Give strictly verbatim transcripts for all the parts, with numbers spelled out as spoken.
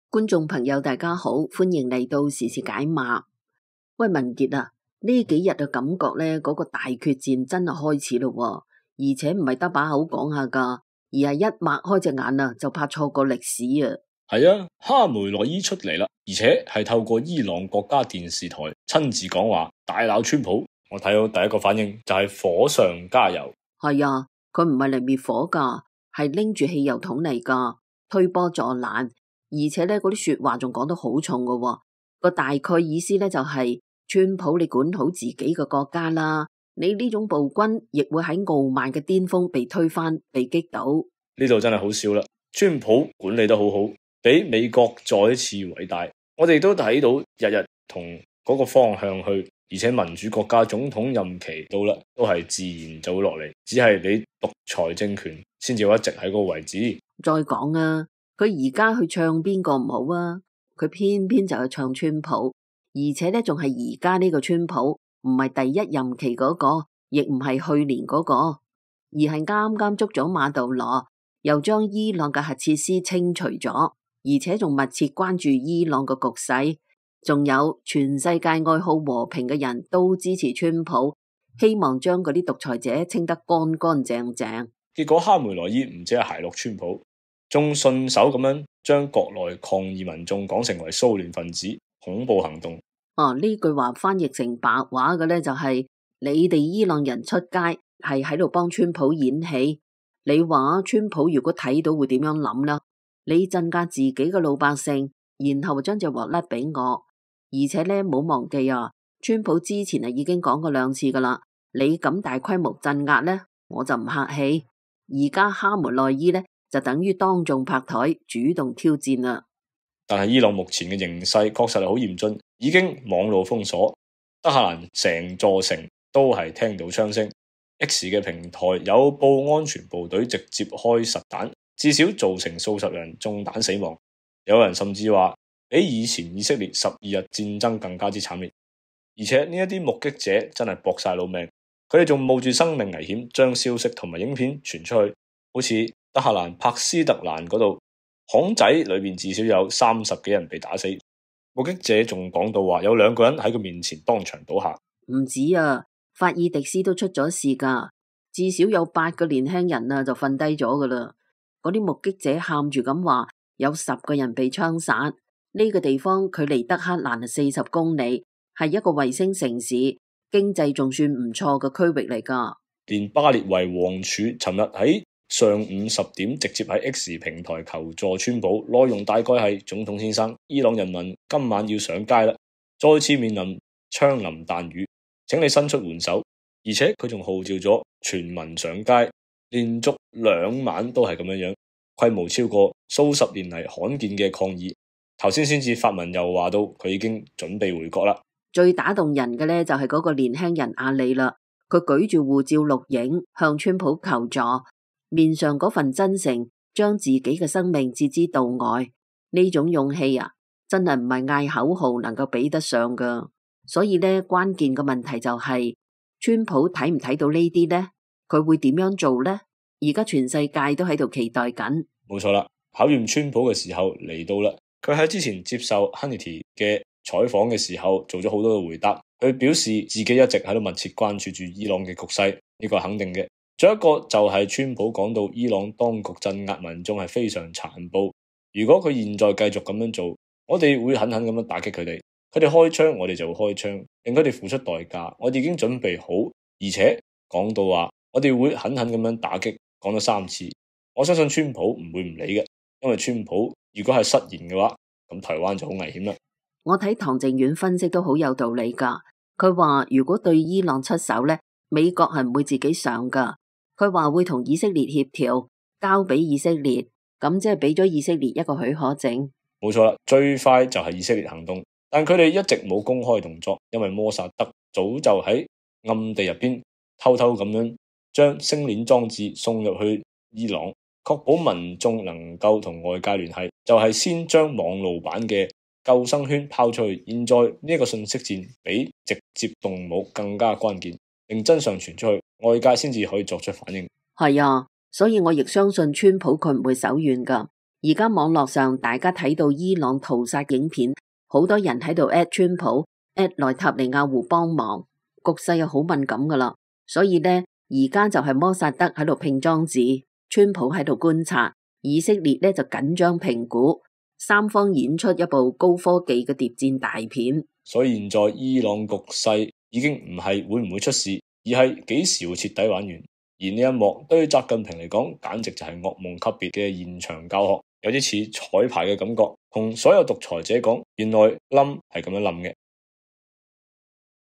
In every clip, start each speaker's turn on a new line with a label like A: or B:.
A: 觀眾朋友大家好，歡迎嚟到時事解碼。喂，文傑啊，呢幾日嘅感覺咧，嗰個大決戰真係開始咯，而且唔係得把口講下噶，而係一擘開隻眼啊，就怕錯過歷史啊。
B: 係啊，哈梅內伊出嚟啦，而且係透過伊朗國家電視台親自講話，大鬧川普。我睇到第一個反應就係火上加油。
A: 係啊，佢唔係嚟滅火噶，係拎住汽油桶嚟噶，推波助瀾，而且咧嗰啲說話仲講得好重噶喎。個大概意思咧就係、是、川普，你管好自己嘅國家啦，你呢種暴君亦會喺傲慢嘅巔峰被推翻、被擊倒。
B: 呢度真係好笑啦，川普管理得好好，比美國再一次偉大。我哋都睇到日日同嗰個方向去，而且民主國家總統任期到啦，都係自然就會落嚟，只係你獨裁政權先至會一直喺嗰個位置。
A: 再講啊，佢而家去唱邊個唔好啊？佢偏偏就去唱川普，而且咧仲係而家呢個川普，唔係第一任期嗰個，亦唔係去年嗰個，而係啱啱捉咗馬杜羅，又將伊朗嘅核設施清除咗，而且仲密切關注伊朗嘅局勢，仲有全世界愛好和平嘅人都支持川普，希望將嗰啲獨裁者清得乾乾淨淨。
B: 結果哈梅內伊唔止係奚落川普，仲順手咁樣將國內抗議民眾講成為騷亂分子、恐怖行動。
A: 哦，呢句話翻譯成白話嘅咧就係、是、你哋伊朗人出街係喺度幫川普演戲。你話川普如果睇到會點樣諗呢？你鎮壓自己嘅老百姓，然後將隻鑊甩俾我。而且咧冇忘記啊，川普之前啊已經講過兩次噶啦，你咁大規模鎮壓咧，我就唔客氣。而家哈梅內伊咧就等於當眾拍台，主動挑戰啦。
B: 但係伊朗目前嘅形勢確實係好嚴峻，已經網路封鎖，德黑蘭成座城都係聽到槍聲。X 嘅平台有報安全部隊直接開實彈，至少造成數十人中彈死亡。有人甚至話比以前以色列十二日戰爭更加之慘烈。而且呢一啲目擊者真係搏晒老命，佢哋仲冒住生命危險將消息同埋影片傳出去。好似德黑蘭帕斯特蘭嗰度，巷仔裏面至少有三十幾人被打死。目擊者仲講到話有兩個人喺佢面前當場倒下。
A: 唔止啊，法爾迪斯都出咗事噶，至少有八個年輕人啊就瞓低咗噶啦。嗰啲目擊者喊住咁話，有十個人被槍殺。呢個地方距離德黑蘭係四十公里，係一個衛星城市，經濟仲算唔錯嘅區域嚟噶。連
B: 巴列維王儲尋日喺上午十點直接喺 X 平台求助川普，內容大概係：總統先生，伊朗人民今晚要上街啦，再次面臨槍林彈雨，請你伸出援手。而且佢仲號召咗全民上街，連續兩晚都係咁樣樣，規模超過數十年嚟罕見嘅抗議。頭先先至發文又話到佢已經準備回國啦。
A: 最打動人嘅咧就係嗰個年輕人阿里啦，佢舉住護照錄影向川普求助，面上嗰份真誠，將自己嘅生命置之度外。呢種勇氣啊，真係唔係嗌口號能夠比得上噶。所以咧，關鍵嘅問題就係、是、川普睇唔睇到呢啲呢？佢會點樣做呢？而家全世界都喺度期待緊。
B: 冇錯啦，考驗川普嘅時候嚟到啦。佢喺之前接受 Hannity 嘅採訪嘅時候，做咗好多嘅回答。佢表示自己一直喺度密切關注住伊朗嘅局勢，呢個係肯定嘅。仲有一個就係川普講到伊朗當局鎮壓民眾係非常殘暴。如果佢現在繼續咁樣做，我哋會狠狠咁樣打擊佢哋。佢哋開槍，我哋就會開槍，令佢哋付出代價。我哋已經準備好，而且講到話，我哋會狠狠咁樣打擊，講咗三次。我相信川普唔會唔理嘅，因為川普如果係失言嘅話，咁台灣就好危險啦。
A: 我睇唐靖遠分析都好有道理噶。佢話如果對伊朗出手呢，美國係唔會自己上噶。佢話會同以色列協調，交俾以色列，咁即係俾咗以色列一個許可證。
B: 冇錯啦，最快就係以色列行動，但佢哋一直冇公開動作，因為摩薩德早就喺暗地入邊偷偷咁樣將星鏈裝置送入去伊朗，確保民眾能夠同外界聯繫，就係先將網路版嘅救生圈拋出去。現在呢個信息戰比直接動武更加關鍵，令真相傳出去，外界先至可以作出反應。
A: 係啊，所以我亦相信川普佢唔會手軟噶。而家網絡上大家睇到伊朗屠殺影片，好多人喺度 at 川普 at 內塔尼亞胡幫忙，局勢又好敏感噶啦。所以呢，而家就係摩薩德喺度拼裝置，川普喺度觀察，以色列呢就緊張評估，三方演出一部高科技嘅諜戰大片。
B: 所以現在伊朗局勢已經唔係會唔會出事，而係幾時會徹底玩完。而呢一幕對於習近平嚟講，簡直就係噩夢級別嘅現場教學，有啲似彩排嘅感覺，同所有獨裁者講，原來冧係咁樣冧嘅。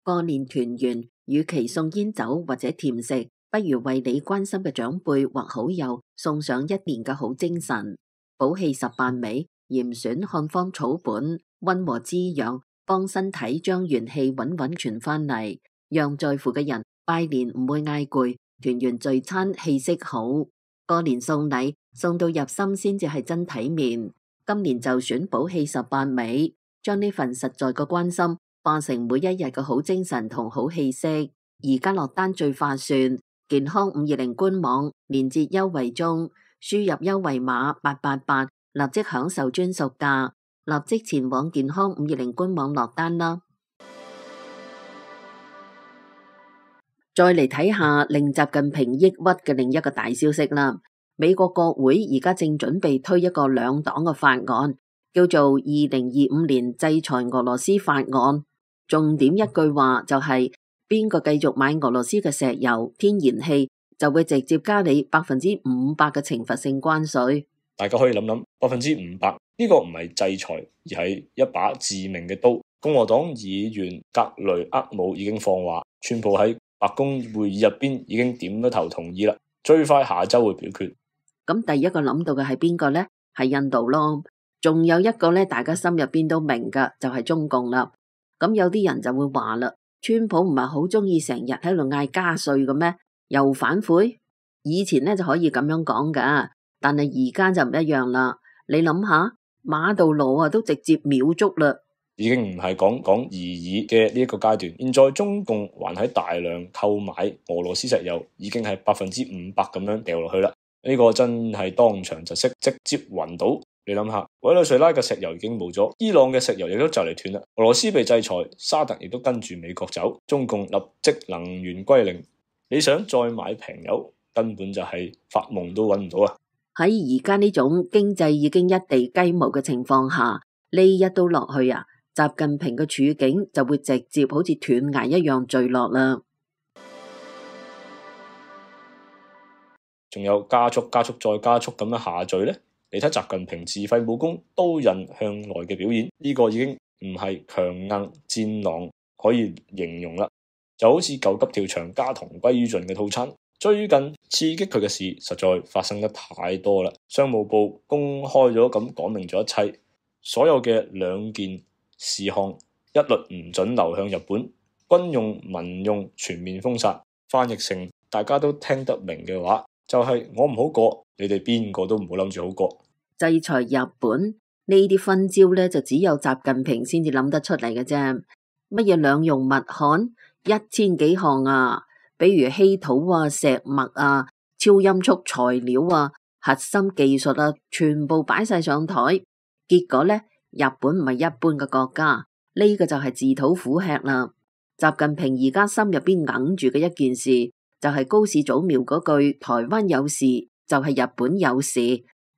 A: 過年團圓，與其送煙酒或者甜食，不如為你關心嘅長輩或好友送上一年嘅好精神。補氣十八味，嚴選漢方草本，溫和滋養，幫身體將元氣穩穩傳翻嚟，讓在乎嘅人拜年唔會嗌攰。團圓聚餐氣息好，過年送禮送到入心先至係真體面。今年就選補氣十八味，將呢份實在嘅關心化成每一日嘅好精神同好氣息。而家落單最划算，健康五二零官網連結優惠中，輸入優惠碼八八八，立即享受專屬價，立即前往健康五二零官網落單啦。再嚟睇下令習近平抑鬱嘅另一個大消息啦。美國國會而家正準備推一個兩黨嘅法案，叫做二零二五年制裁俄羅斯法案。重點一句話就係邊個繼續買俄羅斯嘅石油、天然氣，就會直接加你百分之五百嘅懲罰性關稅。
B: 大家可以諗諗，百分之五百呢個唔係制裁，而係一把致命嘅刀。共和黨議員格雷厄姆已經放話，川普喺白宮會議入邊已經點咗頭同意啦，最快下周會表決。
A: 咁第一個諗到嘅係邊個呢？係印度咯。仲有一個咧，大家心入邊都明噶，就係中共啦。咁有啲人就會話啦，川普唔係好中意成日喺度嗌加稅嘅咩？又反悔？以前咧就可以咁樣講噶，但係而家就唔一樣啦。你諗下，馬杜羅啊都直接秒捉啦。
B: 已經唔係講講而已嘅呢一個階段，現在中共還喺大量購買俄羅斯石油，已經係百分之五百咁樣掉落去啦。呢、這個真係當場就識直接暈倒。你諗下，委內瑞拉嘅石油已經冇咗，伊朗嘅石油亦都就嚟斷啦，俄羅斯被制裁，沙特亦都跟住美國走，中共立即能源歸零。你想再買平油，根本就係發夢都揾唔到啊！
A: 喺而家呢種經濟已經一地雞毛嘅情況下，呢一刀落去啊！習近平嘅處境就會直接好似斷崖一樣墜落啦。
B: 仲有加速、加速再加速咁樣下墜呢？你睇習近平自廢武功、刀刃向內嘅表現，呢個已經唔係強硬戰狼可以形容啦，就好似救急跳牆加同歸於盡嘅套餐。最近刺激佢嘅事實在發生得太多啦，商務部公開咗咁講明咗一切，所有嘅兩件事項一律唔准流向日本，軍用、民用全面封殺。翻譯成大家都聽得明嘅話，就係、是、我唔好過，你哋邊個都唔好諗住好過。
A: 制裁日本呢啲分招咧，就只有習近平先至諗得出嚟嘅啫。乜嘢兩用物焊一千幾項啊，比如稀土啊、石墨啊、超音速材料啊、核心技術啊，全部擺晒上台。結果咧，日本唔係一般嘅國家，呢、這個就係自討苦吃啦。習近平而家心入邊硬住嘅一件事，就係、是、高市早苗嗰句台灣有事就係、是、日本有事。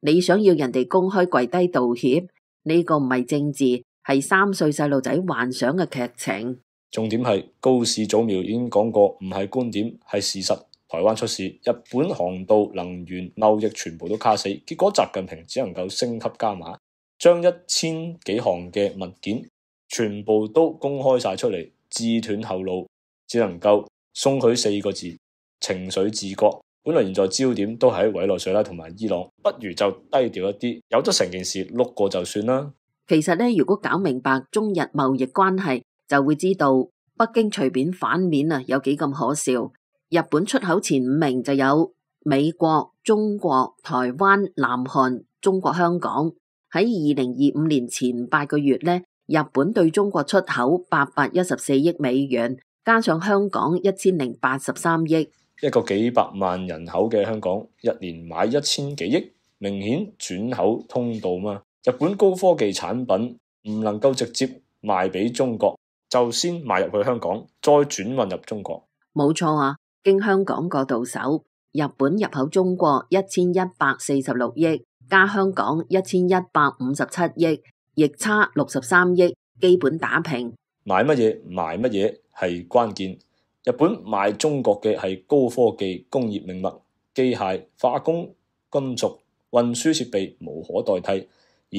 A: 你想要人哋公開跪低道歉，呢、這個唔係政治，係三歲細路仔幻想嘅劇情。
B: 重點係高市早苗已經講過，唔係觀點，係事實。台灣出事，日本航道、能源、貿易全部都卡死，結果習近平只能夠升級加碼，將一千幾項嘅物件全部都公開晒出嚟，自斷後路，只能夠送佢四個字：情緒自覺。本來現在焦點都喺委內瑞拉同埋伊朗，不如就低調一啲，由得成件事碌過就算啦。
A: 其實咧，如果搞明白中日貿易關係，就會知道北京隨便反面啊，有幾咁可笑。日本出口前五名就有美國、中國、台灣、南韓、中國香港。喺二零二五年前八個月咧，日本對中國出口八百一十四億美元，加上香港一千零八十三億。
B: 一個幾百萬人口嘅香港，一年買一千幾億，明顯轉口通道嘛。日本高科技產品唔能夠直接賣俾中國，就先賣入去香港，再轉運入中國。
A: 冇錯啊，經香港嗰度手，日本入口中國一千一百四十六億，加香港一千一百五十七億，逆差六十三億，基本打平。
B: 買乜嘢賣乜嘢係關鍵。日本賣中國嘅係高科技工業命脈、機械、化工、金屬、運輸設備無可代替，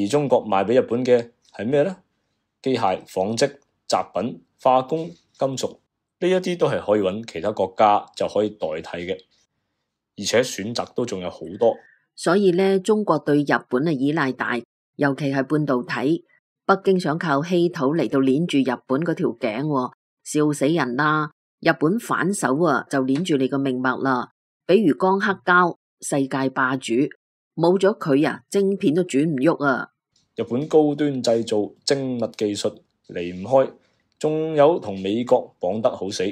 B: 而中國賣俾日本嘅係咩呢？機械、紡織、雜品、化工、金屬，呢一啲都係可以揾其他國家就可以代替嘅，而且選擇都仲有好多。
A: 所以呢，中國對日本嘅依賴大，尤其係半導體。北京想靠稀土嚟到鏈住日本嗰條頸，笑死人啦！日本反手啊，就鏈住你個命脈啦。比如光刻膠，世界霸主，冇咗佢啊，晶片都轉唔喐啊！
B: 日本高端製造、精密技術離唔開，仲有同美國綁得好死。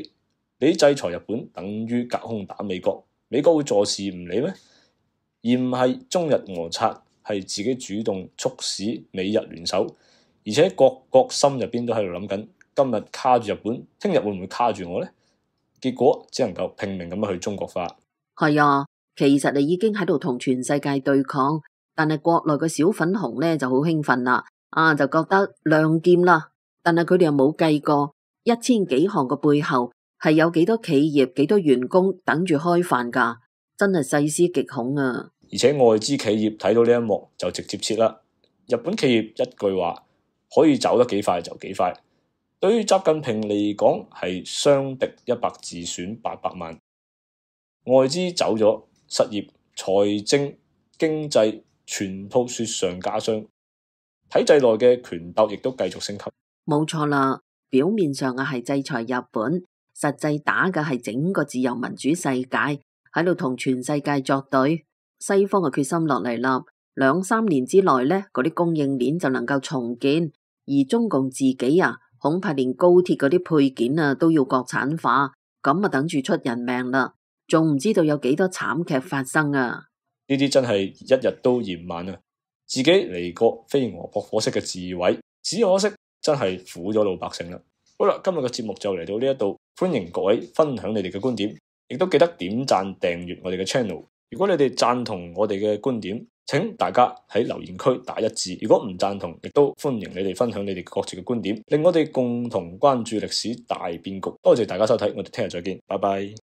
B: 你制裁日本，等於隔空打美國，美國會坐視唔理咩？而唔係中日摩擦，係自己主動促使美日聯手，而且各國心入邊都喺度諗緊，今日卡住日本，聽日會唔會卡住我呢？結果只能夠拼命咁樣去中國化。
A: 係啊，其實你已經喺度同全世界對抗，但係國內嘅小粉紅咧就好興奮啦，啊就覺得亮劍啦，但係佢哋又冇計過一千幾行嘅背後係有幾多企業、幾多員工等住開飯噶，真係細思極恐啊！
B: 而且外資企業睇到呢一幕就直接撤啦。日本企業一句話可以走得幾快就幾快。對於習近平嚟講係傷敵一百自損八百萬，外資走咗，失業、財政、經濟全套雪上加霜，體制內嘅權鬥亦都繼續升級。
A: 冇錯啦，表面上啊係制裁日本，實際打嘅係整個自由民主世界，喺度同全世界作對。西方嘅決心落嚟啦，兩三年之內呢，嗰啲供應鏈就能夠重建，而中共自己啊，恐怕連高鐵嗰啲配件啊都要國產化，咁啊等住出人命啦，仲唔知道有幾多慘劇發生啊！
B: 呢啲真係一日都嫌晚啊！自己嚟個飛蛾撲火式嘅自毀，只可惜真係苦咗老百姓啦。好啦，今日嘅節目就嚟到呢一度，歡迎各位分享你哋嘅觀點，亦都記得點讚訂閱我哋嘅 channel。如果你哋贊同我哋嘅觀點，請大家喺留言區打一字；如果唔贊同，亦都歡迎你哋分享你哋各自嘅觀點，令我哋共同關注歷史大變局。多謝大家收睇，我哋聽日再見，拜拜。